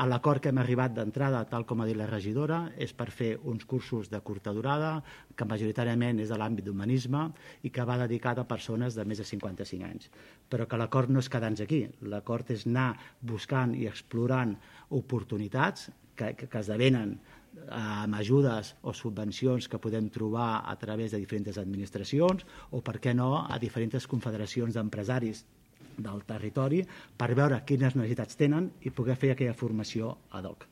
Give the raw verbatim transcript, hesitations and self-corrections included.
L'acord que hem arribat d'entrada, tal com ha dit la regidora, és per fer uns cursos de curta durada, que majoritàriament és de l'àmbit d'humanisme i que va dedicat a persones de més de cinquanta-cinc anys. Però que l'acord no és quedar-nos aquí. L'acord és anar buscant i explorant oportunitats que, que, que esdevenen amb ajudes o subvencions que podem trobar a través de diferents administracions o, per què no, a diferents confederacions d'empresaris del territori per veure quines necessitats tenen i poder fer aquella formació ad hoc.